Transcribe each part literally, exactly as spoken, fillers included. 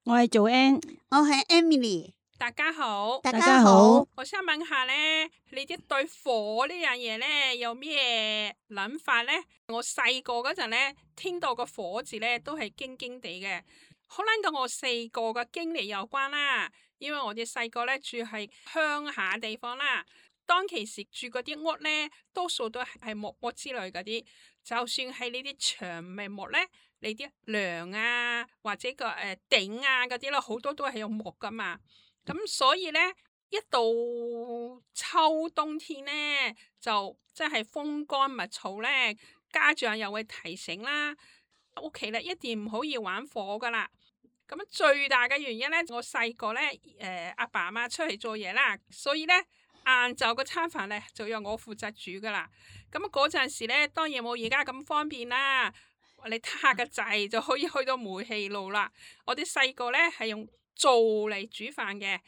我係做 Ann，我係 Emily。大家好，大家好。我想問下咧，你哋對火呢樣嘢咧有咩諗法咧？我細個嗰陣咧，聽到個火字咧都係驚驚地嘅，可能同我細個嘅經歷有關啦。因為我哋細個咧住喺鄉下地方啦，當其時住嗰啲屋咧，多數都係木屋之類嗰啲，就算係呢啲長尾木咧，你啲梁啊或者個誒頂啊嗰啲咧，好多都係用木噶嘛。咁所以咧，一到秋冬天咧，就真係風乾物燥咧，家長又會提醒啦，屋企咧一定唔可以玩火噶啦。咁最大嘅原因咧，我細個咧，誒阿爸阿媽出去做嘢啦，所以咧晏晝個餐飯咧就由我負責煮噶啦。咁嗰陣時咧，當然冇而家咁方便啦，你撻下個掣就可以去到煤氣爐啦。我哋細個咧係用灶嚟煮飯嘅，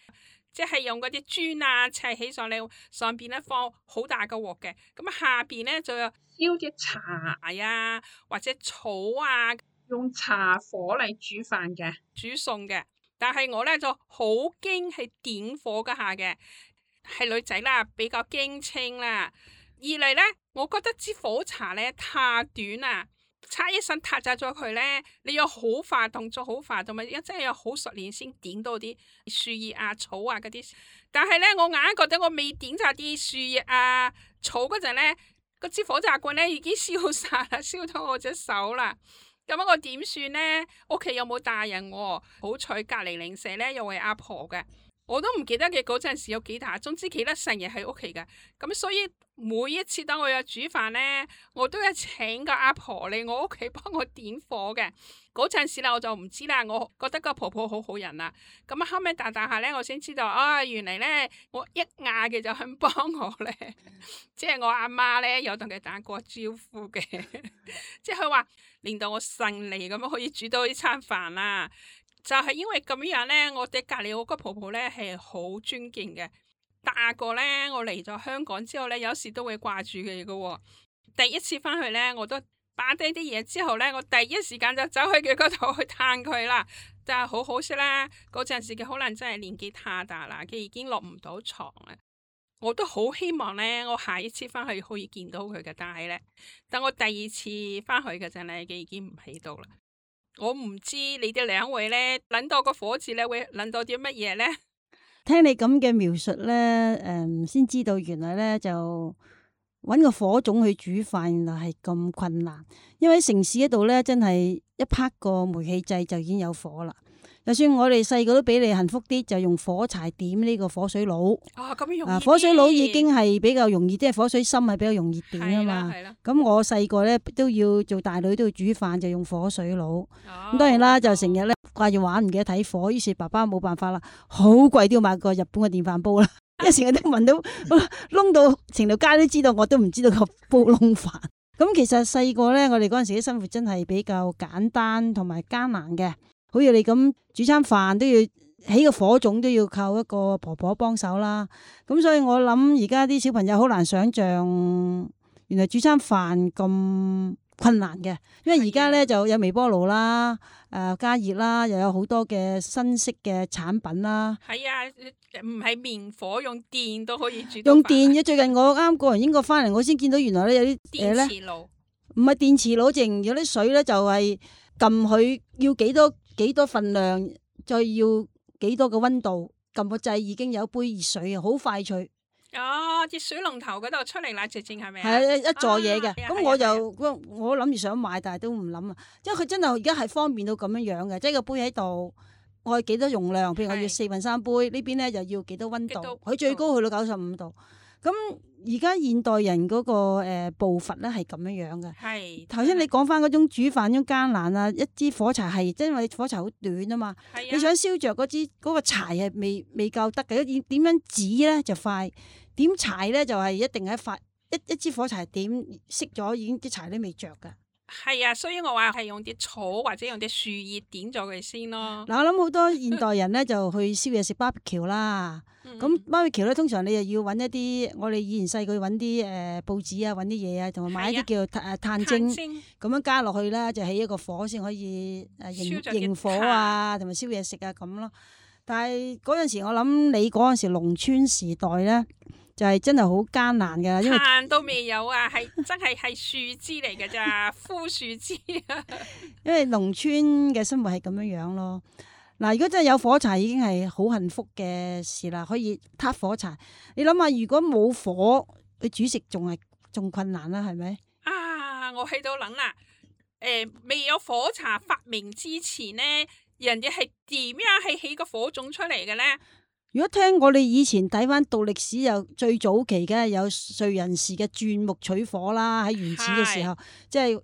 即係用嗰啲磚啊砌起上嚟，上邊咧放好大個鑊嘅，咁下邊咧就有燒啲茶啊或者草啊，用茶火嚟煮飯嘅，煮餸嘅。但係我咧就好驚係點火嗰下嘅，係女仔啦，比較驚青啦。二嚟咧，我覺得支火柴咧太短啦。差一身撻着咗佢咧，你要好快動作，好快，同埋一真係要好熟練先點到啲樹葉啊、草啊嗰啲。但係咧，我硬覺得我未點晒啲樹葉啊、草嗰陣咧，嗰支火柴棍咧已經燒晒啦，燒到我隻手啦。咁我點算咧？屋企有冇大人喎？好彩隔籬鄰舍咧又係阿婆嘅，我都唔記得嘅嗰陣時有幾大，總之記得成日喺屋企嘅。咁所以每一次當我有煮飯咧，我都要請個阿婆嚟我屋企幫我點火嘅。嗰陣時啦，我就唔知啦，我覺得個婆婆好好人啦。咁後尾大大下咧，我先知道啊，原嚟咧我一嗌嘅就肯幫我咧，即係我阿媽咧有同佢打過招呼嘅，即係佢話令到我順利咁樣可以煮到呢餐飯啦。就係因為咁樣咧，我哋隔籬嗰個婆婆咧係好尊敬嘅。大個咧，我嚟咗香港之後咧，有時都會掛住佢嘅。第一次翻去咧，我都擺低啲嘢之後咧，我第一時間就走去佢嗰度去探佢啦。但係好可惜啦，嗰陣時佢可能真係年紀太大啦，佢已經落唔到床啦。我都好希望咧，我下一次翻去可以見到佢嘅，但係咧，等我第二次翻去嘅陣咧，佢已經唔喺度啦。我唔知你哋兩位咧諗到個火字咧會諗到啲乜嘢咧？聽你咁嘅描述咧，誒、嗯，先知道原來咧就搵個火種去煮飯，原來係咁困難。因為喺城市嗰度咧，真係一拍個煤氣掣就已經有火啦。就算我哋細個都比你幸福啲，就用火柴點呢個火水爐。啊，咁容易。啊，火水爐已經係比較容易，即係火水深係比較容易點啊嘛。係啦。咁我細個咧都要做大女都要煮飯，就用火水爐。咁、哦、當然啦，就成日咧掛住玩，唔記得睇火，於是爸爸冇辦法啦，好貴都要買個日本嘅電飯煲啦。一成日都聞到燶到成條街都知道，我都唔知道個煲燶飯。咁其實細個咧，我哋嗰陣時啲生活真係比較簡單同埋艱難嘅。好似你咁煮餐飯都要起個火種，都要靠一個婆婆幫手啦。咁所以我諗而家啲小朋友好難想象，原來煮餐飯咁困難嘅。因為而家咧就有微波爐啦，誒、呃、加熱啦，又有好多嘅新式嘅產品啦。係啊，唔係明火，用電都可以煮到飯。用電嘅，最近我啱過完英國翻嚟，我先見到原來咧有啲嘢咧，電磁爐唔係電磁爐，淨有啲水咧就係撳佢要幾多。幾多份量，再要幾多個溫度，撳個掣已經有杯熱水啊，好快脆。哦，啲水龍頭嗰度出嚟啦，直情係咪啊？係啊，一座嘢嘅。咁、啊、我就、啊、我諗住想買，但係都唔諗啊，因為佢真係而家係方便到咁樣樣嘅，即係個杯喺度，我係幾多容量，譬如我要四分三杯，呢邊咧就要幾多溫度，佢最高去到九十五度。咁而家現代人嗰、那個誒、呃、步伐咧係咁樣樣嘅。係頭先你講翻嗰種煮飯嗰種艱難啊，一支火柴係，因為火柴好短啊嘛。係啊。你想燒着嗰支嗰個柴係未未夠得嘅，點點樣指咧就快，點柴咧就係、是、一定係快，一一支火柴點熄咗已經啲柴都未着噶。係啊，所以我話係用啲草或者用啲樹葉點咗佢先咯。嗱，我諗好多現代人咧就去宵夜食 barbecue 啦。咁 barbecue 咧，通常你又要揾一啲，我哋以前細個揾啲誒報紙啊，揾啲嘢啊，同埋買一啲叫誒炭精，咁樣加落去啦，就起一個火先可以誒營營火啊，同埋燒嘢食啊咁咯。但係嗰陣時我諗你嗰陣時農村時代咧，就係真係好艱難㗎，因為炭都未有啊，係真係係樹枝嚟㗎咋，枯樹枝啊。因為農村嘅生活係咁樣樣咯。嗱，如果真係有火柴，已經係好幸福嘅事啦，可以撻火柴。你諗下，如果冇火，你煮食仲係仲困難啦，係咪？啊，我喺度諗啦，誒、呃，未有火柴發明之前呢，人哋係點樣係起個火種出嚟嘅咧？如果聽我哋以前睇翻讀歷史，又最早期嘅有燧人氏嘅鑽木取火啦，喺原始嘅時候，即係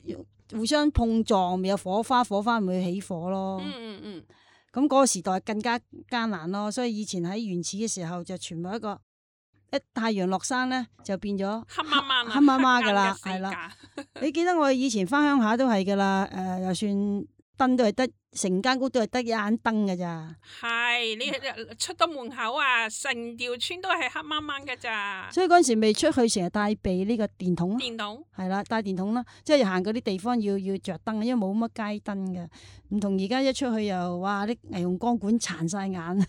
互相碰撞，咪有火花，火花咪會起火咯。嗯嗯嗯。咁嗰個時代更加艱難咯，所以以前喺原始嘅時候就全部一個一太陽落山咧，就變咗黑媽媽黑媽媽噶啦，係啦。你記得我以前翻鄉下都係噶啦，誒、呃，就算燈都係得成間屋都係得一盞燈噶咋。係你出到門口啊，成條村都係黑掹掹噶咋。所以嗰陣時未出去，成日帶備呢個電筒咯。電筒係啦，帶電筒啦，即係行嗰啲地方要要着燈，因為冇乜街燈嘅。唔同而家一出去又哇啲霓虹光管殘晒眼，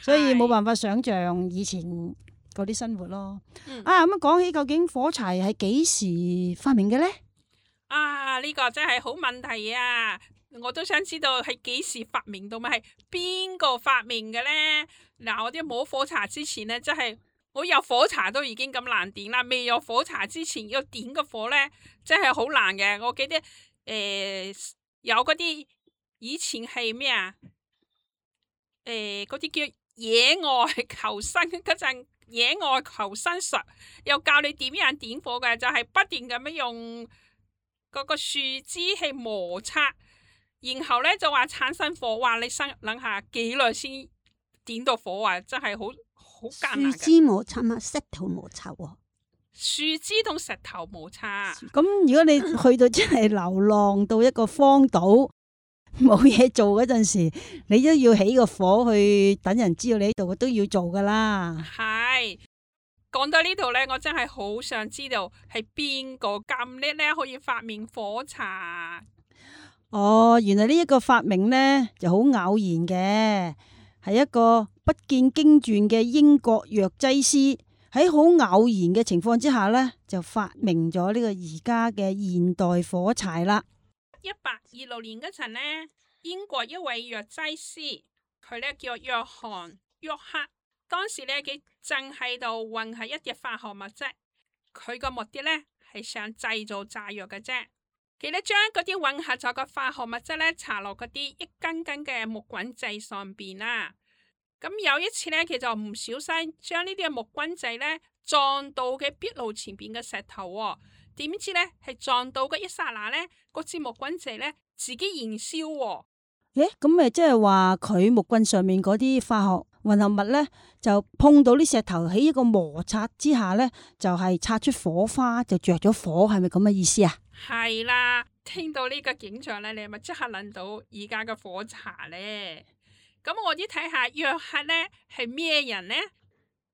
所以冇辦法想象以前嗰啲生活咯。嗯、啊咁講起，究竟火柴係幾時發明嘅咧？啊呢、呢個真係好問題啊！我都想知道係幾時發明到，咪係邊個發明嘅咧？嗱，我啲冇火柴之前咧，真係我有火柴都已經咁難點啦，未有火柴之前要點個火咧，真係好難嘅。我記得誒。呃有嗰啲以前係咩啊？誒，嗰啲叫野外求生嗰陣，野外求生術又教你點樣點火嘅，就係、是、不斷咁樣用嗰個樹枝去摩擦，然後咧就話產生火。話你生諗下幾耐先點到火啊？真係好好艱難嘅。樹枝摩擦嘛，石頭摩擦喎。樹枝同石頭摩擦。咁如果你去到真係流浪到一個荒島冇嘢做嗰陣時，你都要起個火去等人知道你喺度，都要做噶啦。係講到呢度咧，我真係好想知道係邊個咁叻咧，可以發明火柴。哦，原來呢一個發明咧就好偶然嘅，係一個不見經傳嘅英國藥劑師。喺好偶然嘅情況之下咧，就發明咗呢個而家嘅現代火柴啦。一八二六年嗰陣呢，英國一位藥劑師，佢咧叫約翰約克，當時咧佢正喺度混合一啲化學物質，佢個目的咧係想製造炸藥嘅啫。佢咧將嗰啲混合咗嘅化學物質咧搽落嗰啲一根根嘅木棍仔上邊啦。咁有一次咧，佢就唔小心將呢啲嘅木棍仔咧撞到嘅壁爐前邊嘅石頭，哦，點知咧係撞到嘅一剎那咧，嗰支木棍仔咧自己燃燒，哦。誒，咁咪即係話佢木棍上面嗰啲化學混合物咧，就碰到啲石頭喺一個摩擦之下咧，就係、是、擦出火花，就着咗火，係咪咁嘅意思啊？係啦，聽到呢個景象咧，你係咪即刻諗到而家嘅火柴咧？咁我哋睇下約克咧係咩人呢？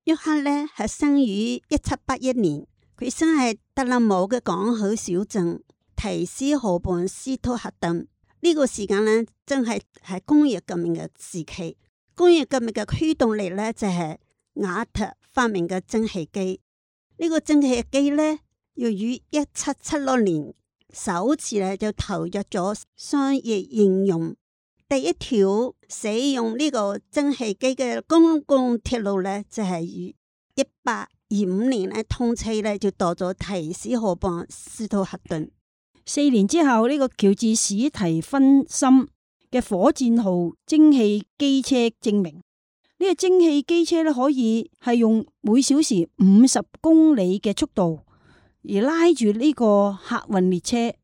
約克咧係生於一七八一年，佢生喺德勒姆嘅港口小鎮提斯河畔斯托克頓。呢、這個時間咧真係係工業革命嘅時期。工業革命嘅驅動力咧就係、是、瓦特發明嘅蒸汽機。呢、這個蒸汽機咧要於一七七六年首次咧就投入咗商業應用。第一條使用呢個蒸汽機嘅公共鐵路咧，就係於一八二五年咧通車咧，就到咗提斯河畔斯托克頓。四年之後，呢、這個喬治史提芬森嘅火箭號蒸汽機車證明，呢、這個蒸汽機車咧可以係用每小時五十公里嘅速度而拉住呢個客運列車，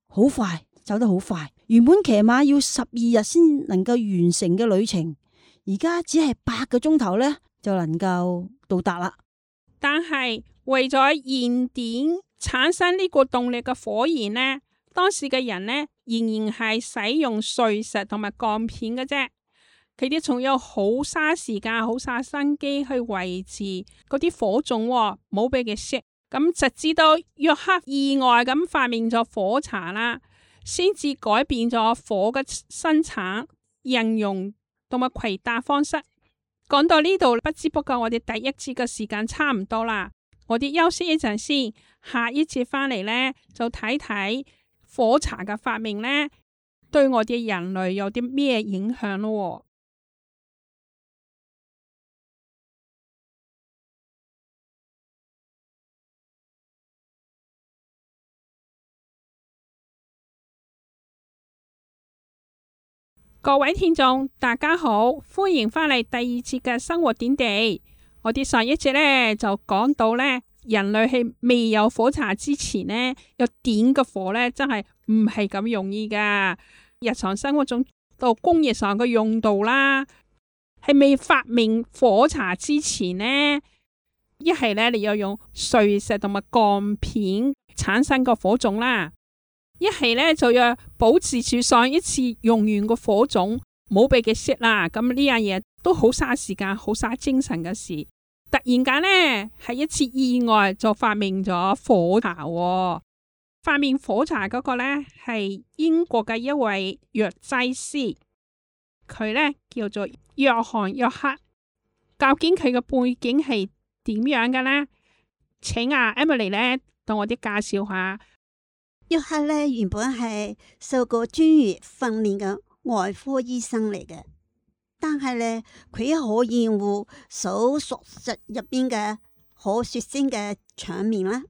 好快，走得好快。原本騎馬要十二日先能夠完成嘅旅程，而家只係八個鐘頭咧就能夠到達啦。但係為咗燃點產生呢個動力嘅火焰呢，當時嘅人呢，仍然係使用碎石同埋鋼片嘅啫。佢哋仲要好嘥時間、好嘥心機去維持嗰啲火種，冇俾佢熄。咁直至到約克意外咁發明咗火柴啦，先至改變咗火嘅生產、應用同埋攜帶方式。講到呢度，不知不覺我哋第一節嘅時間差唔多啦，我哋休息一陣先，下一節翻嚟呢，就睇睇火柴嘅發明呢，對我哋人類有啲咩影響咯。各位聽眾，大家好，歡迎翻嚟第二節嘅生活點滴。我哋上一節呢就講到呢，人類係未有火柴之前呢，要點個火呢，真係唔係咁容易噶。日常生活中到工業上嘅用度啦，係未發明火柴之前呢，一係呢，你要用碎石同埋鋼片產生個火種啦。一係咧就要保持住上一次用完個火種，冇俾佢熄啦。咁呢樣嘢都好嘥時間，好嘥精神嘅事。突然間呢，係一次意外就發明咗火柴，哦。發明火柴嗰個呢，係英國嘅一位藥劑師，佢呢叫做約翰約克。究竟佢嘅背景係點樣嘅呢？請阿 Emily 呢同我哋介紹下。約克咧原本係受過專業訓練嘅外科醫生嚟嘅，但係咧佢好厭惡手術室入邊嘅好血腥嘅場面啦，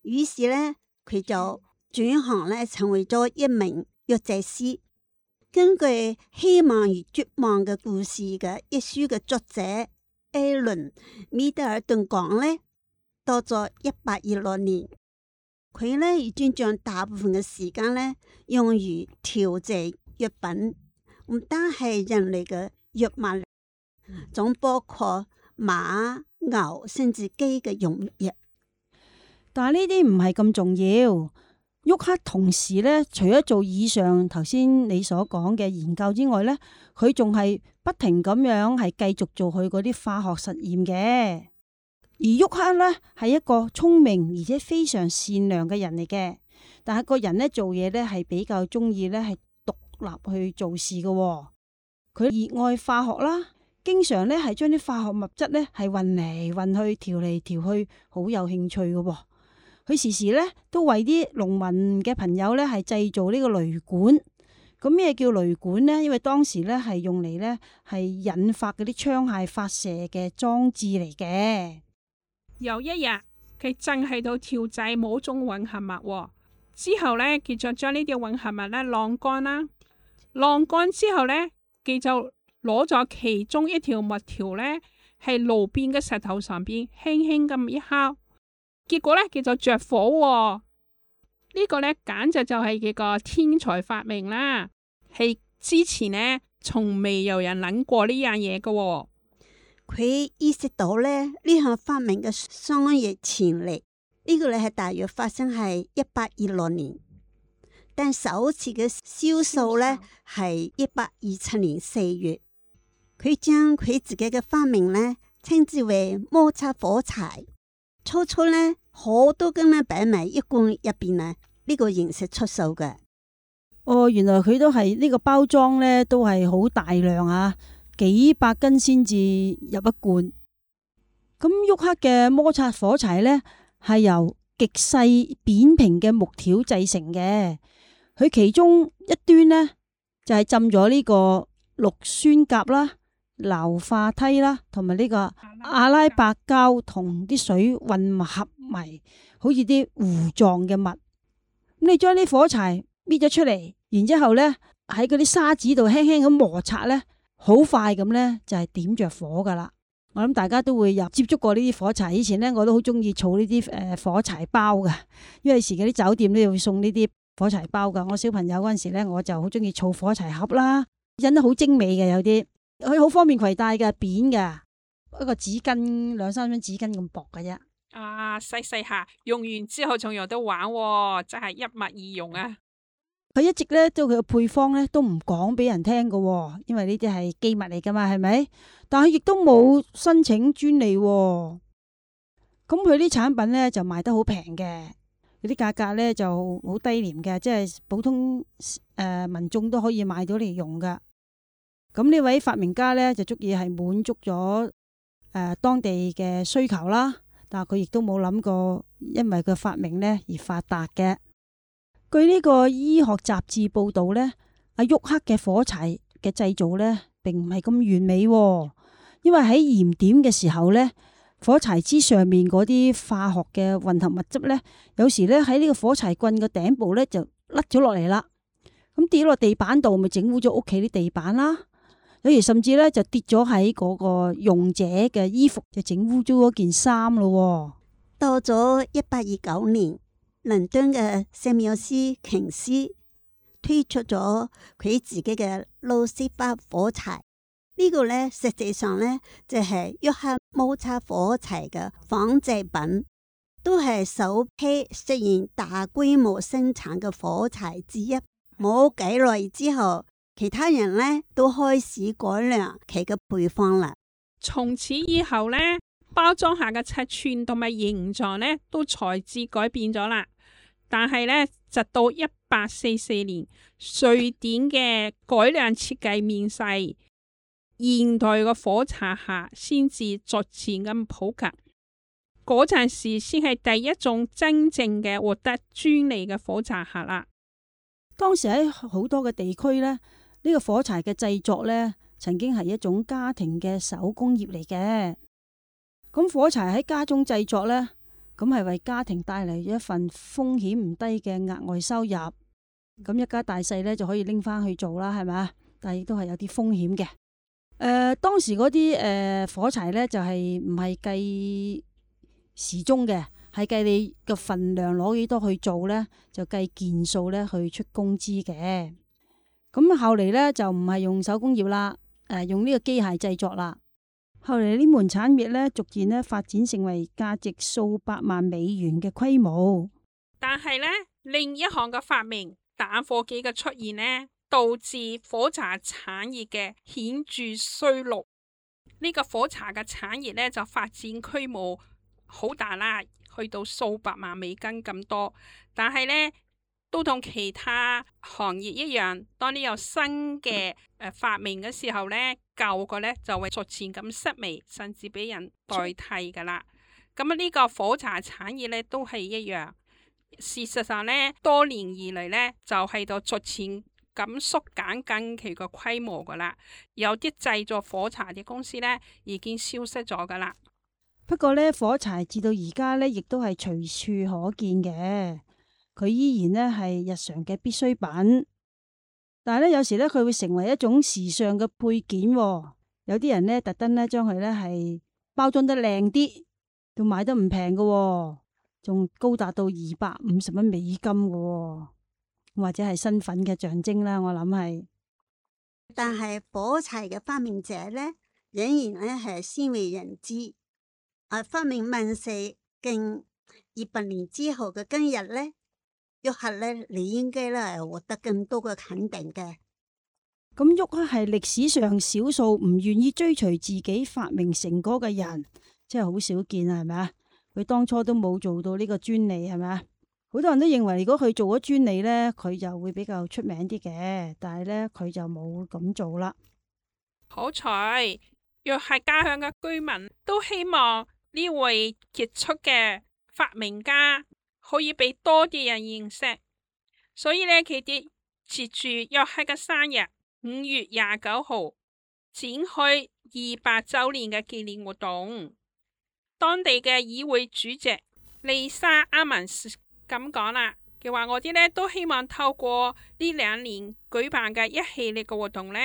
於是咧佢就轉行咧成為咗一名藥劑師。根據《希望與絕望嘅故事》嘅一書嘅作者艾倫米德爾頓講咧，到咗一八二六年。佢咧已經將大部分嘅時間咧用於調製藥品，唔單係人類嘅藥物，仲包括馬、牛甚至雞嘅用藥。但係呢啲唔係咁重要。沃克同時咧，除咗做以上頭先你所講嘅研究之外咧，佢仲係不停咁樣係繼續做佢嗰啲化學實驗嘅。而沃克咧係一個聰明而且非常善良嘅人嚟嘅，但係個人咧做嘢咧係比較中意咧係獨立去做事嘅，哦。佢熱愛化學啦，經常咧係將啲化學物質咧係混嚟混去，調嚟調去，好有興趣嘅，哦。佢時時咧都為啲農民嘅朋友咧係製造呢個雷管。咁咩叫雷管呢？因為當時咧係用嚟咧係引發嗰啲槍械發射嘅裝置嚟嘅。有一日，佢正喺度調製某種混合物，哦，之後呢，佢就將呢啲混合物咧晾乾啦。晾乾之後呢，佢就攞咗其中一條木條呢，喺路邊嘅石頭上邊輕輕咁一敲，結果呢，佢就着火，哦。呢，這個呢，簡直就係佢個天才發明啦，係之前呢，從未有人諗過呢樣嘢嘅。佢意識到咧呢項發明嘅商業潛力，呢個咧係大約發生喺一八二六年，但首次嘅銷售咧係一八二七年四月。佢將佢自己嘅發明咧稱之為摩擦火柴。初初咧好多根咧擺埋一罐入邊啊，呢個形式出售嘅。哦，原來佢都係呢個包裝咧，都係好大量啊！幾百斤先至入一罐。咁沃克嘅摩擦火柴呢，係由極細扁平嘅木條製成嘅。佢其中一端呢，就係浸咗呢個氯酸鉀啦、硫化梯啦，同埋呢個阿拉伯膠同啲水混合埋，好似啲糊狀嘅物。咁你將啲火柴搣咗出嚟，然之後呢喺嗰啲沙子度輕輕咁摩擦呢。好快咁呢，就係點着火噶啦。我諗大家都會有接觸過呢啲火柴。以前呢，我都好中意儲呢啲誒火柴包噶，因為時嗰啲酒店都會送呢啲火柴包噶。我小朋友嗰陣時呢，我就好中意儲火柴盒啦，印得好精美嘅，有啲佢好方便攜帶嘅，扁嘅，一個紙巾兩三張紙巾咁薄嘅啫。啊，細細下，用完之後仲有得玩喎，真係一物二用啊！佢一直咧都佢嘅配方咧都唔講俾人聽㗎，因為呢啲係機密嚟噶嘛，係咪？但係亦都冇申請專利喎。咁佢啲產品咧就賣得好平嘅，嗰啲價格咧就好低廉嘅，即係普通誒、呃、民眾都可以買到嚟用噶。咁呢位發明家咧就足以係滿足咗誒、呃、當地嘅需求啦。但係佢亦都冇諗過，因為佢發明咧而發達嘅。據呢個醫學雜誌報道咧，阿沃克嘅火柴嘅製造咧並唔係咁完美喎，因為喺燃點嘅時候咧，火柴枝上面嗰啲化學嘅混合物質咧，有時咧喺呢個火柴棍嘅頂部咧就甩咗落嚟啦，咁跌落地板度，咪整污咗屋企啲地板啦。有時甚至咧就跌咗喺嗰個用者嘅衣服，就整污咗嗰件衫咯。到咗一八二九年，倫敦嘅聖繆斯瓊斯推出咗佢自己嘅路西法火柴。呢個咧實際上咧就係約克摩擦火柴嘅仿製品，都係首批實現大規模生產嘅火柴之一。冇幾耐之後，其他人咧都開始改良其嘅配方啦。從此以後呢，包裝下嘅尺寸同埋形狀呢都材質改變咗啦。但係呢，直到一八四四年，瑞典嘅改良設計面世，現代嘅火柴盒先至逐漸咁普及。嗰陣時先係第一種真正嘅獲得專利嘅火柴盒啦。當時喺好多嘅地區呢。呢個火柴嘅製作呢，曾經係一種家庭嘅手工業嚟嘅。咁火柴喺家中製作呢，咁係為家庭帶嚟一份風險唔低嘅額外收入。咁一家大細呢，就可以拎翻去做啦，係咪？但係亦都係有啲風險嘅。誒、呃，當時嗰啲誒火柴呢，就係唔係計時鐘嘅，係計你嘅份量攞幾多去做呢，就計件數呢去出工資嘅。咁後嚟咧就唔係用手工業啦，誒用呢個機械製作啦。後嚟呢門產業咧逐漸咧發展成為價值數百萬美元嘅規模。但係咧另一項嘅發明打火機嘅出現呢，導致火柴產業嘅顯著衰落。呢、這個火柴嘅產業咧就發展規模好大啦，去到數百萬美金咁多。但係咧，都同其他行業一樣，當你有新嘅誒發明嘅時候呢，舊嘅呢就會逐漸咁式微，甚至俾人代替噶啦。咁啊，呢個火柴產業呢都係一樣。事實上呢，多年以嚟呢，就喺度逐漸咁縮減緊佢個規模噶啦。有啲製作火柴嘅公司呢已經消失咗噶啦。不過呢，火柴至到而家呢，亦都係隨處可見嘅。佢依然咧係日常嘅必需品，但係咧有時咧佢會成為一種時尚嘅配件。有啲人咧特登咧將佢咧係包裝得靚啲，都買得唔平嘅，仲高達到二百五十蚊美金嘅，或者係身份嘅象徵啦。我諗係，但係火柴嘅發明者咧仍然咧係鮮為人知。啊，發明問世近二百年之後嘅今日咧，沃克咧，你應該咧係獲得更多嘅肯定嘅。咁沃克係歷史上少數唔願意追隨自己發明成果嘅人，真係好少見啊，係咪啊？佢當初都冇做到呢個專利，係咪啊？好多人都認為如果佢做咗專利咧，佢就會比較出名啲嘅，但係咧佢就冇咁做啦。好彩，若係家鄉嘅居民都希望呢位傑出嘅發明家可以俾多啲人認識，所以呢，佢哋接住約克嘅生日五月廿九號展開二百周年嘅紀念活動。當地嘅議會主席麗莎阿文斯咁講啦，佢話我哋呢都希望透過呢兩年舉辦嘅一系列嘅活動呢，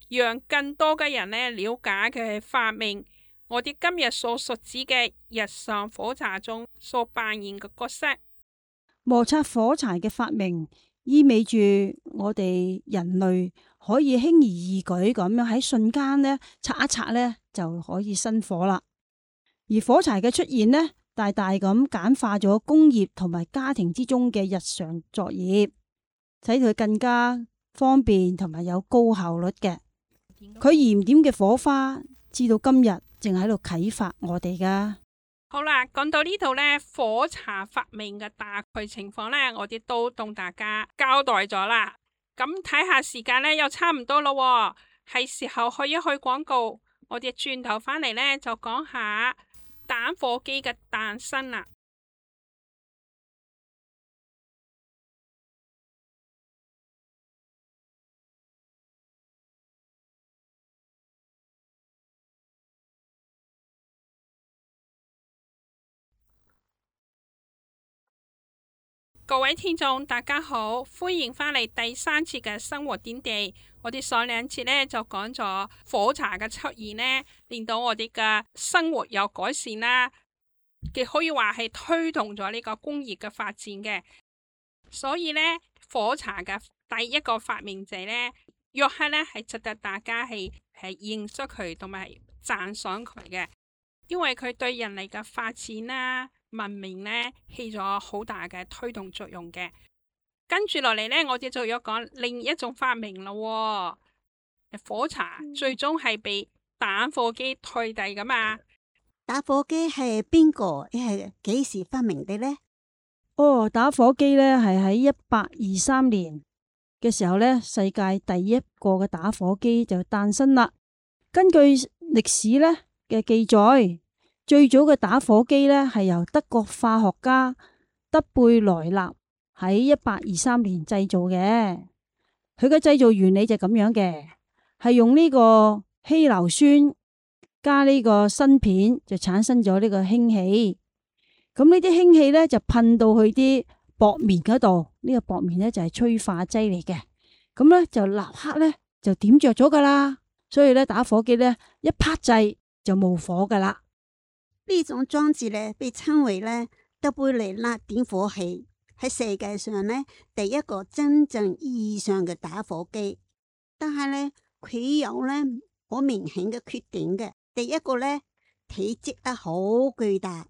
讓更多嘅人呢了解佢係發明我哋今日所熟知嘅日常火柴中所扮演嘅角色。摩擦火柴嘅發明意味住我哋人類可以輕而易舉咁樣喺瞬間呢擦一擦呢就可以生火啦。而火柴嘅出現呢，大大咁簡化咗工業同埋家庭之中嘅日常作業，使佢更加方便同埋有高效率嘅。佢燃點嘅火花，至到今日正喺度啟發我哋噶。好啦，講到呢度呢，火茶發明嘅大概情況呢，我哋都同大家交代咗啦。咁睇下時間呢，又差唔多咯，係時候去一去廣告。我哋轉頭返嚟呢，就講下打火機嘅誕生啦。各位聽眾大家好，歡迎返嚟第三次嘅生活點滴。我哋上兩次呢，就講咗火茶嘅出現呢，令到我哋嘅生活有改善啦，亦可以話係推動咗呢個工業嘅發展嘅。所以呢，火茶嘅第一個發明者呢，約克呢，係值得大家係係認識佢同埋讚賞佢嘅，因為佢對人類嘅發展啦、文明呢，起咗好大嘅推動作用嘅。跟住落嚟呢，我哋就要講另一種發明咯。火茶最終係被打火機替代噶嘛？打火機係邊個？係幾時發明嘅呢？哦，打火機呢係喺一八二三年嘅時候呢，世界第一個嘅打火機就誕生啦。根據歷史呢嘅記載，最早嘅打火機呢係由德國化學家德貝萊納喺一八二三年製造嘅。佢嘅製造原理就咁樣嘅，係用呢個稀硫酸加呢個砷片，就產生咗呢個氫氣。咁呢啲氫氣呢，就噴到去啲薄棉嗰度，呢、這個薄棉呢，就係催化劑嚟嘅。咁呢，就立刻呢，就點着咗噶啦。所以呢，打火機呢，一拍掣就冇火噶啦。呢種裝置呢，被稱為呢德貝萊納點火器，喺世界上呢，第一個真正意義上嘅打火機。但係呢，佢有呢好明顯嘅缺點嘅。第一個呢，體積啊好巨大，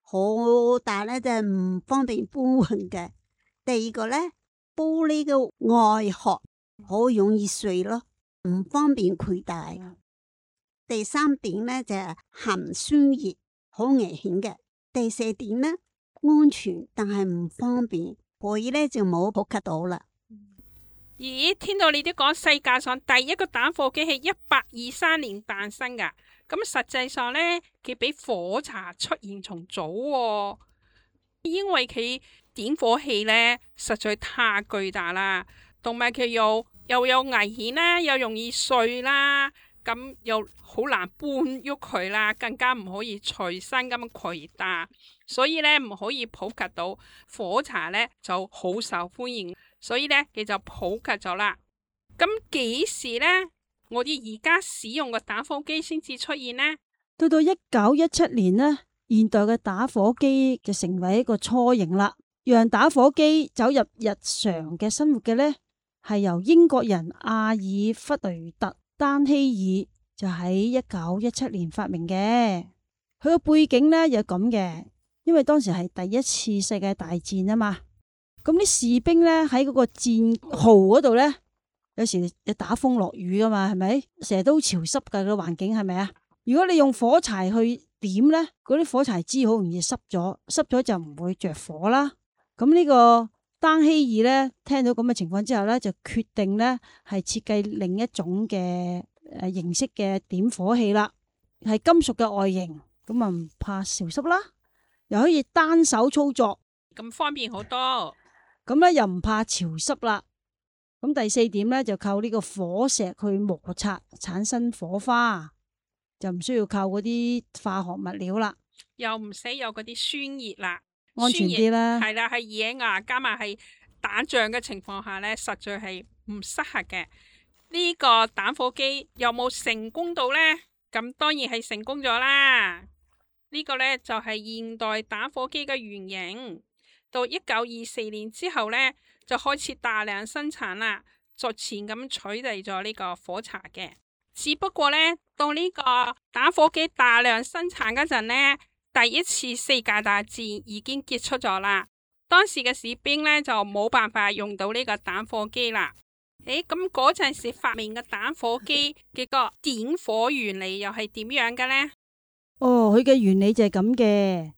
好大呢，就係唔方便搬運嘅。第二個呢，玻璃嘅外殼好容易碎咯，唔方便攜帶。第三點呢，就係含酸熱，好危險嘅。第四點呢，安全但係唔方便，所以呢就冇普及到啦。咦，聽到你哋講世界上第一個打火機係一八二三年誕生噶，咁實際上呢，佢比火茶出現仲早喎，因為佢點火器呢實在太巨大啦，同埋佢又又有危險啦，又容易碎啦。咁又好難搬喐佢啦，更加唔可以隨身咁攜帶，所以咧唔可以普及到。火茶咧就好受歡迎，所以咧佢就普及咗啦。咁幾時咧，我哋而家使用嘅打火機先至出現呢？到到一九一七年呢，現代嘅打火機就成為一個雛形啦。讓打火機走入日常嘅生活嘅呢，係由英國人阿爾弗雷特丹希爾就喺一九一七年發明嘅。佢個背景呢又咁嘅，因為當時係第一次世界大戰啊嘛。咁啲士兵呢喺嗰個戰壕嗰度呢，有時有打風落雨噶嘛，係咪？成日都潮濕噶個環境，係咪啊？如果你用火柴去點呢，嗰啲火柴枝好容易濕咗，濕咗就唔會着火啦。咁呢個丹希爾呢，聽到咁嘅情況之後呢，就決定呢係設計另一種嘅誒形式嘅點火器啦，係金屬嘅外形，咁啊唔怕潮濕啦，又可以單手操作，咁方便好多。咁咧又唔怕潮濕啦。咁第四點呢，就靠呢個火石去摩擦產生火花，就唔需要靠嗰啲化學物料啦，又唔使有嗰啲酸熱啦。安全啲啦，係啦，係野外加埋係打仗嘅情況下呢，實在係唔適合嘅。呢個打火機有冇成功到呢？咁當然係成功咗啦。呢個呢，就係現代打火機嘅原型。到一九二四年之後呢，就開始大量生產啦，逐漸咁取代咗呢個火柴嘅。只不過呢，到呢個打火機大量生產嗰陣呢，第第一次世界大戰已經結束咗啦。當時嘅士兵呢，就冇辦法用到呢個打火機啦。誒，咁嗰陣時發明嘅打火機嘅個點火原理又係點樣嘅呢？哦，佢嘅原理就係咁嘅，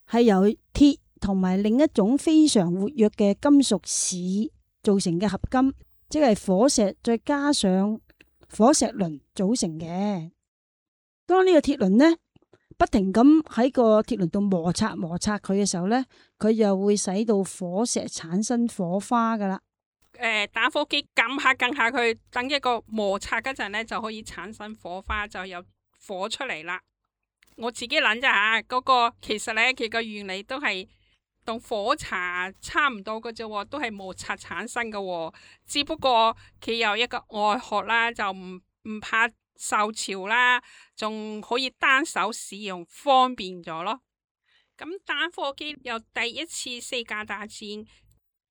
係由鐵同埋另一種非常活躍嘅金屬鋅造成嘅合金，即係火石再加上火石輪組成嘅。當呢個鐵輪呢，不停咁喺個鐵輪度摩擦摩擦佢嘅時候呢，佢又會使到火石產生火花噶啦。誒、呃，打火機撳下撳下佢，等一個摩擦嗰陣呢，就可以產生火花，就有火出嚟啦。我自己諗咋吓，嗰、那個其實呢，佢個原理都係同火柴差唔多嘅啫，都係摩擦產生嘅。只不過佢有一個外殼啦，就唔唔怕受潮啦，仲可以單手使用，方便咗咯。咁打火機由第一次世界大戰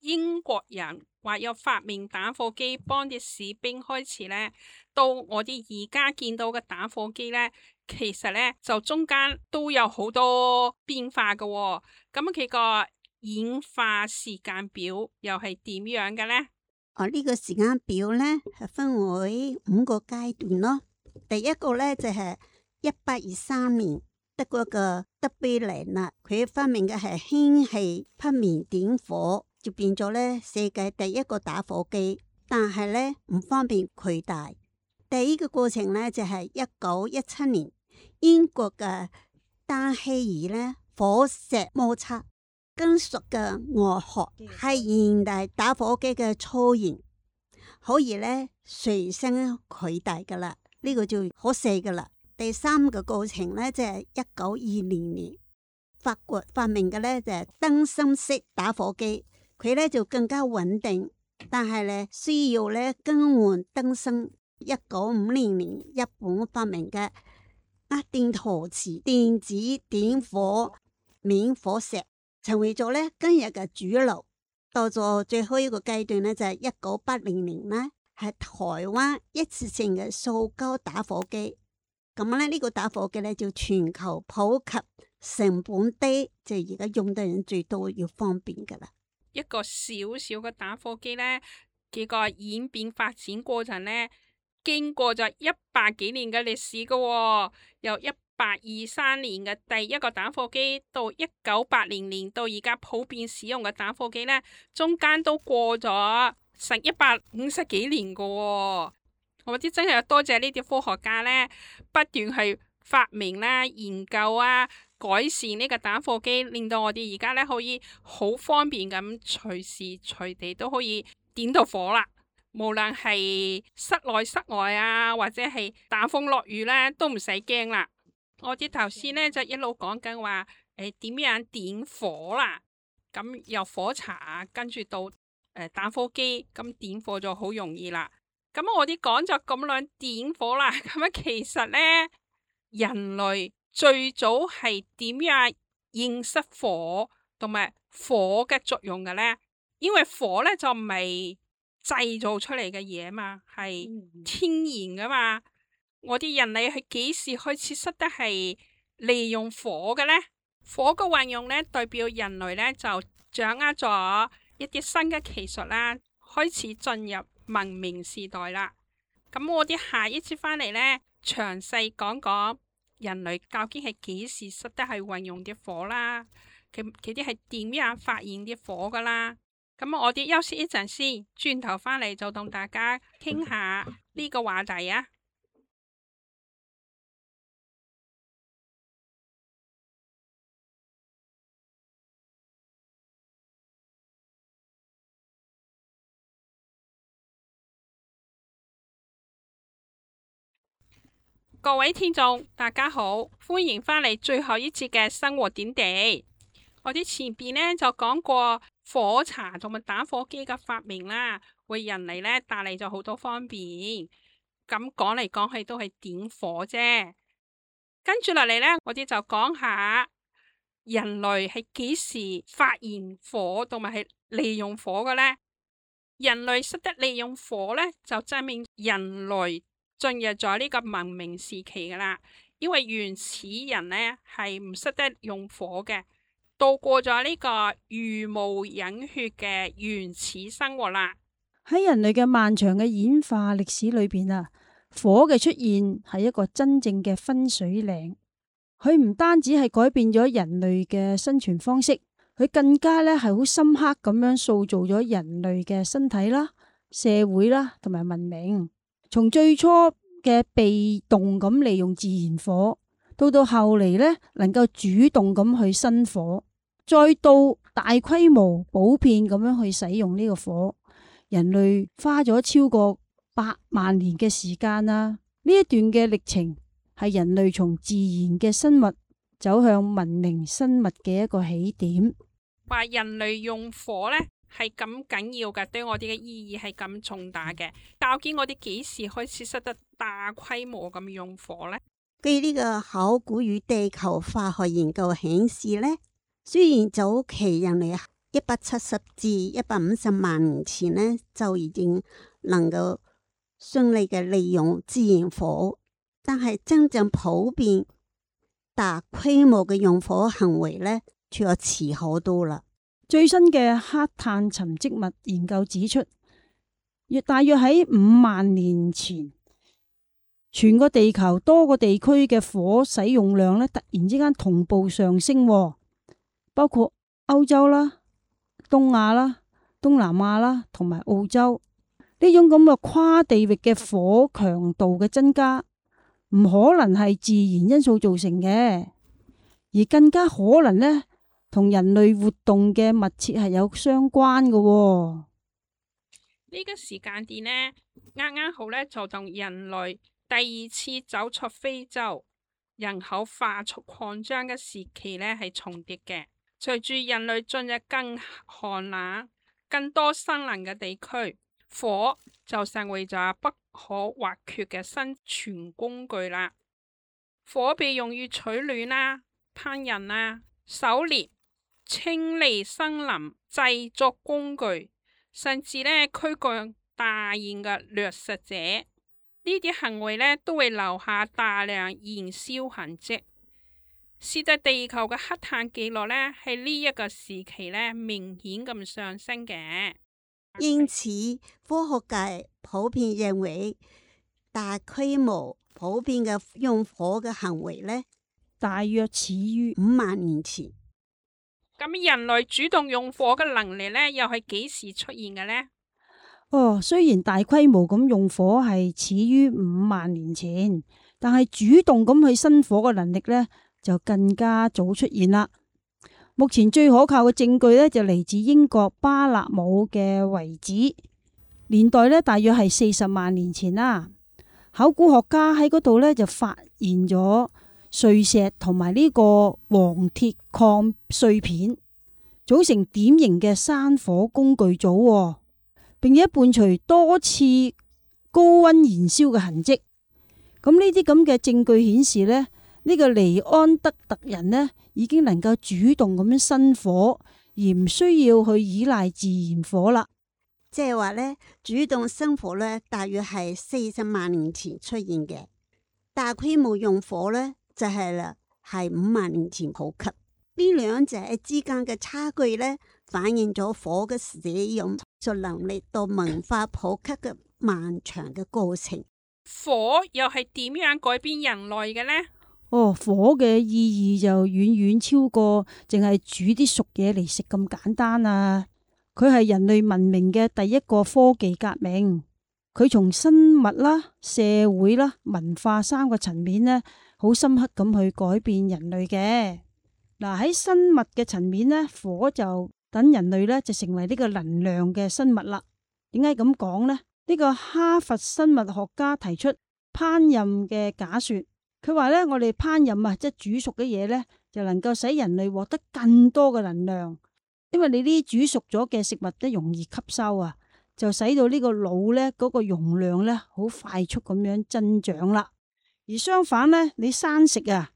英國人話有發明打火機幫啲士兵開始呢，到我哋而家見到嘅打火機呢，其實呢就中間都有好多變化嘅。咁佢個演化時間表又係點樣嘅呢？哦，呢個時間表呢係分為五個階段咯。第一個呢就係一八二三年，德國嘅德貝尼納佢發明嘅係氫氣匹棉點火，就變咗呢世界第一個打火機，但係呢唔方便攜帶。第二個過程呢就係一九一七年，英國嘅丹希爾呢火石摩擦金屬嘅外殼係現代打火機嘅雛形，可以呢隨身攜帶噶啦。呢個就好細噶啦。第三個過程呢，就係一九二零年，法國發明嘅呢，就係燈芯式打火機，佢呢就更加穩定，但係呢需要呢更換燈芯。一九五零年，日本發明嘅壓電陶瓷電子點火免火石，成為咗呢今日嘅主流。到咗最後一個階段呢，就係一九八零年呢。係台灣一次性嘅塑膠打火機，咁咧呢個打火機咧就全球普及，成本低，就而家用嘅人最多，要方便噶啦。一個小小嘅打火機咧，幾個演變發展過程咧，經過咗一百幾年嘅歷史噶、哦，由一八二三年嘅第一個打火機到一九八零年到而家普遍使用嘅打火機咧，中間都過咗成一百五十幾年噶、哦，我啲真係多謝呢啲科學家呢，不斷去發明啦、研究啊、改善呢個打火機，令到我哋而家呢可以好方便咁隨時隨地都可以點到火啦。無論係室內室外啊，或者係打風落雨呢，都唔使驚啦。我哋頭先呢就一路講緊話誒點樣點火啦，咁由火柴跟住到誒，打火機咁點火就好容易啦。咁我哋講咗咁耐點火啦，咁啊其實呢，人類最早係點樣認識火同埋火嘅作用嘅呢？因為火呢就唔係製造出嚟嘅嘢嘛，係天然噶嘛。我哋人類係幾時開始識得係利用火嘅呢？火嘅運用呢，代表人類呢就掌握咗一啲新嘅技術啦，開始進入文明時代啦。咁我哋下一次翻嚟呢，詳細講講人類究竟係幾時識得係運用啲火啦，佢佢啲係點樣發現啲火噶啦。咁我哋休息一陣先，轉頭翻嚟就同大家傾下呢個話題啊。各位聽眾，大家好，歡迎翻嚟最後一節嘅生活點滴。我哋前邊呢就講過火柴同埋打火機嘅發明啦，為人類呢帶嚟咗好多方便。咁講嚟講去都係點火啫。跟住落嚟呢，我哋就講下人類係幾時發現火同埋係利用火嘅呢？人類識得利用火呢，就證明人類進入咗呢個文明時期噶啦，因為原始人呢係唔識得用火嘅，度過咗呢個茹毛飲血嘅原始生活啦。喺人類嘅漫長嘅演化歷史裏邊啊，火嘅出現係一個真正嘅分水嶺。佢唔單止係改變咗人類嘅生存方式，佢更加咧係好深刻咁樣塑造咗人類嘅身體啦、社會啦同埋文明。從最初嘅被動咁利用自然火，到到後嚟呢能夠主動咁去生火，再到大規模普遍咁樣去使用呢個火，人類花咗超過百萬年嘅時間啦。呢一段嘅歷程係人類從自然嘅生物走向文明生物嘅一個起點。話人類用火呢係咁緊要嘅，對我哋嘅意義係咁重大嘅。究竟我哋幾時開始識得大規模咁用火呢？據呢個考古與地球化學研究顯示呢，雖然早期人類一百七十至一百五十萬年前呢就已經能夠順利嘅利用自然火，但係真正普遍大規模嘅用火行為呢，卻要遲好多啦。最新嘅黑碳沉積物研究指出，約大約喺五萬年前，全個地球多個地區嘅火使用量咧，突然之間同步上升，包括歐洲啦、東亞啦、東南亞啦同埋澳洲。呢種咁嘅跨地域嘅火強度嘅增加，唔可能係自然因素造成嘅，而更加可能呢，同人類活動嘅密切係有相關嘅。呢個時間點呢，啱啱好呢，就同人類第二次走出非洲、人口快速擴張嘅時期呢係重疊嘅。隨住人類進入更寒冷、更多森林嘅地區，火就成為咗不可或缺嘅生存工具啦。火被用於取暖啦、烹飪啦、狩獵、清理森林、製作工具，甚至呢驅趕大型嘅掠食者。呢啲行為呢都會留下大量燃燒痕跡，使得地球嘅黑碳記錄呢喺呢一個時期呢明顯咁上升嘅。因此，科學界普遍認為，大規模普遍嘅用火嘅行為呢，大約始於五萬年前。咁人類主動用火嘅能力呢，又係幾時出現嘅呢？哦，雖然大規模咁用火係始於五萬年前，但係主動咁去生火嘅能力呢，就更加早出現啦。目前最可靠嘅證據呢，就嚟自英國巴勒姆嘅遺址，年代呢，大約係四十萬年前啦。考古學家喺嗰度呢，就發現咗碎石同埋呢個黃鐵礦碎片，組成典型嘅山火工具組，並且伴隨多次高溫燃燒嘅痕跡。咁呢啲咁嘅證據顯示呢，呢個尼安德特人呢已經能夠主動咁樣生火，而唔需要去依賴自然火啦。即係話呢，主動生火呢，大約係四十萬年前出現嘅。大規模用火呢，就係啦，係五萬年前普及。呢兩者之間嘅差距呢，反映咗火嘅使用就能力到文化普及嘅漫長嘅過程。火又係點樣改變人類嘅呢？哦，火嘅意義就遠遠超過淨係煮啲熟嘢嚟食咁簡單啊！佢係人類文明嘅第一個科技革命，佢從生物啦、社會啦、文化三個層面呢，好深刻咁去改變人類嘅。嗱，喺生物嘅層面呢，火就等人類呢就成為呢個能量嘅生物啦。點解咁講呢？呢個哈佛生物學家提出烹飪嘅假說，佢話呢，我哋烹飪啊，即係煮熟嘅嘢呢，就能夠使人類獲得更多嘅能量。因為你呢啲煮熟咗嘅食物都容易吸收啊，就使到呢個腦呢嗰個容量呢好快速咁樣增長啦。而相反呢，你生食啊，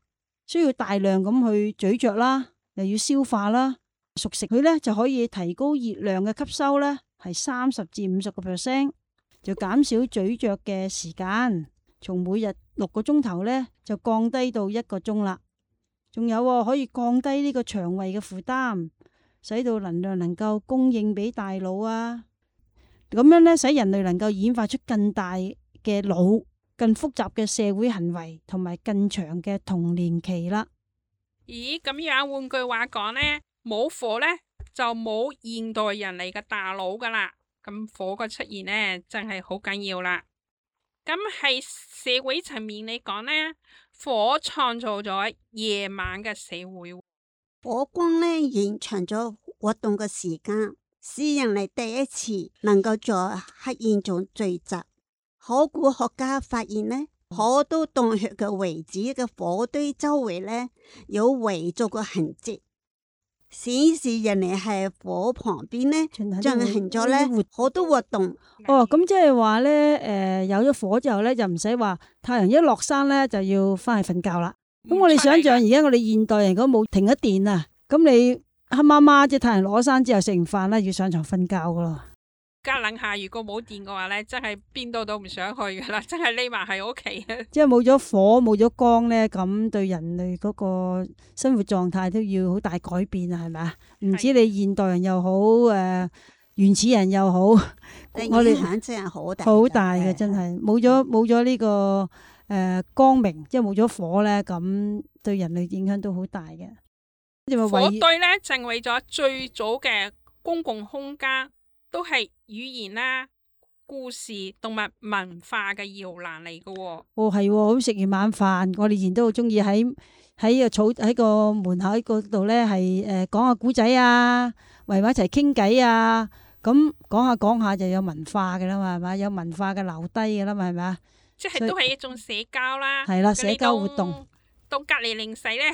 需要大量咁去咀嚼啦，又要消化啦。熟食佢呢就可以提高熱量嘅吸收呢，係三十至五十個 percent，就減少咀嚼嘅時間。從每日六個鐘頭咧就降低到一個鐘啦。仲有、哦、可以降低呢個腸胃嘅負擔，使到能量能夠供應俾大腦啊。咁樣咧，使人類能夠演化出更大嘅腦、更複雜嘅社會行為同埋更長嘅童年期啦。咦，咁樣換句話講呢，冇火呢，就冇現代人類嘅大腦噶啦。咁火嘅出現呢，真係好緊要啦。咁喺社會層面嚟講呢，火創造咗夜晚嘅社會。火光呢延長咗活動嘅時間，使人類第一次能夠在黑暗中聚集。考古學家發現呢，好多洞穴嘅遺址嘅火堆周圍呢有圍築嘅痕跡，顯示人類喺火旁邊呢進行咗呢好多活動。哦，咁即係話呢，誒、呃，有咗火之後呢，就唔使話太陽一落山呢就要翻去瞓覺啦。咁我哋想象而家我哋現代人如果冇停咗電啊，咁你黑麻麻即係太陽落山之後食完飯咧要上床瞓覺噶咯。加冷下，如果冇電嘅話咧，真係邊度都唔想去噶啦，真係匿埋喺屋企啊！即係冇咗火冇咗光咧，咁對人類嗰個生活狀態都要好大改變啊，係咪啊？唔知你現代人又好，誒、呃、原始人又好，我哋影響真係好大，好大嘅，真係冇咗冇咗呢個誒、呃、光明，即係冇咗火咧，咁對人類影響都好大嘅。火堆咧成為咗最早嘅公共空間，都係語言啦、故事同埋文化嘅搖籃嚟嘅。哦，係、哦，好食完晚飯，我哋以前都好中意喺喺個草喺個門口嗰度咧，係誒講下古仔啊，圍埋一齊傾偈啊。咁講下講下就有文化嘅啦嘛，係咪？有文化嘅留低嘅啦嘛，係咪啊？即係都係一種社交啦。係啦，社交活動。到隔籬鄰舍咧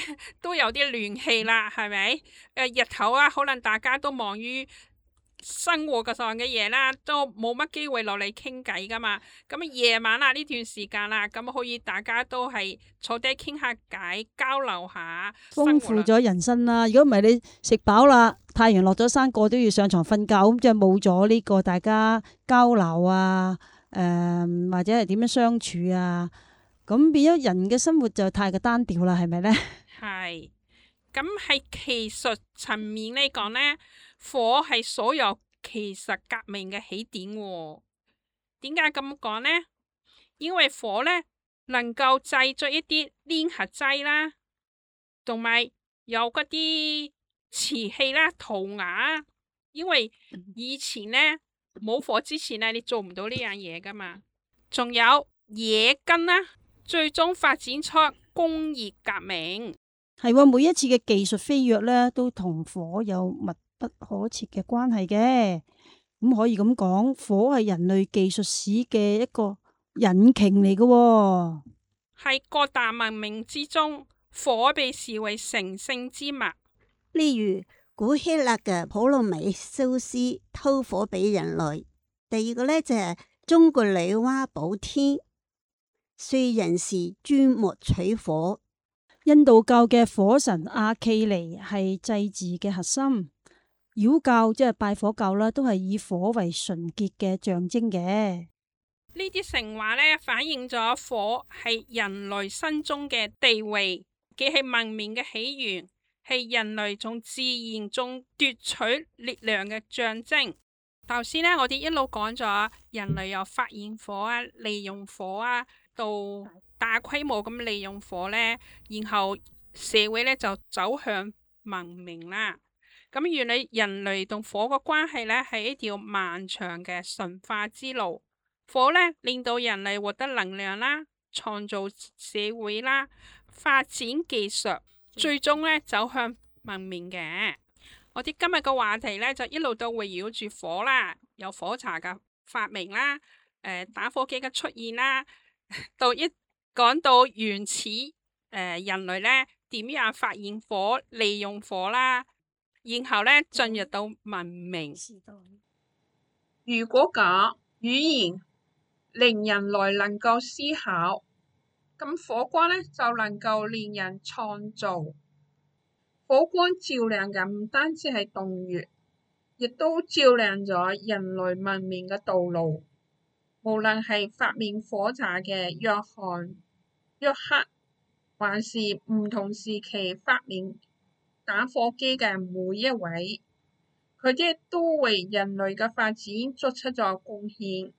都有啲聯繫啦，係咪？誒，日頭啊，可能大家都忙於生活嘅上嘅嘢啦，都冇乜機會落嚟傾偈噶嘛。咁夜晚啊呢段時間啦，咁可以大家都係坐低傾下偈，交流下，豐富咗人生啦。如果唔係你食飽啦，太陽落咗山，個都要上床瞓覺，咁即係冇咗呢個大家交流啊，誒、呃、或者係點樣相處啊。咁變咗人嘅生活就太過單調啦，係咪呢？係，咁喺技術層面嚟講呢，火係所有技術革命嘅起點。點解咁講呢？因為火呢能夠製作一啲粘合劑啦，同埋有嗰啲瓷器啦、塗鴉。因為以前呢冇火之前呢，你做唔到呢樣嘢噶嘛。仲有冶金啦。最終發展出工業革命，係喎，每一次嘅技術飛躍咧，都同火有密不可切嘅關係嘅。咁可以咁講，火係人類技術史嘅一個引擎嚟嘅。喺各大文明之中，火被視為神聖之物。例如古希臘嘅普羅米修斯偷火俾人類。第二個咧就係中國女媧補天。燧人氏鑽木取火，印度教嘅火神阿契尼係祭祀嘅核心，妖教即係拜火教啦，都係以火為純潔嘅象徵嘅。呢啲神話呢，反映咗火係人類心中嘅地位，既係文明嘅起源，係人類從自然中奪取力量嘅象徵。頭先呢，我哋一路講咗人類有發現火啊，利用火啊。到大規模咁利用火呢，然後社會呢就走向文明啦。咁原來人類同火嘅關係呢，係一條漫長嘅馴化之路。火呢令到人類獲得能量啦，創造社會啦，發展技術，最終呢走向文明嘅。我哋今日嘅話題呢，就一路都圍繞住火啦，有火柴嘅發明啦，誒、呃、打火機嘅出現啦。到一講到原始誒、呃、人類咧點樣發現火、利用火啦，然後咧進入到文明。如果講語言令人類能夠思考，咁火光咧就能夠令人創造。火光照亮嘅唔單止係洞穴，亦都照亮咗人類文明嘅道路。無論係發明火柴嘅約翰、約克，還是唔同時期發明打火機嘅每一位，佢哋都為人類嘅發展作出咗貢獻，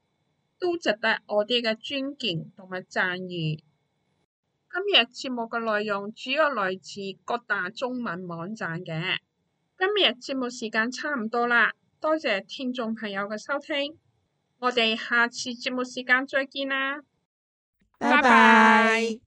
都值得我哋嘅尊敬同埋讚譽。今日節目嘅內容主要來自各大中文網站嘅。今日節目時間差唔多啦，多謝聽眾朋友嘅收聽，我哋下次節目時間再見啦，拜拜。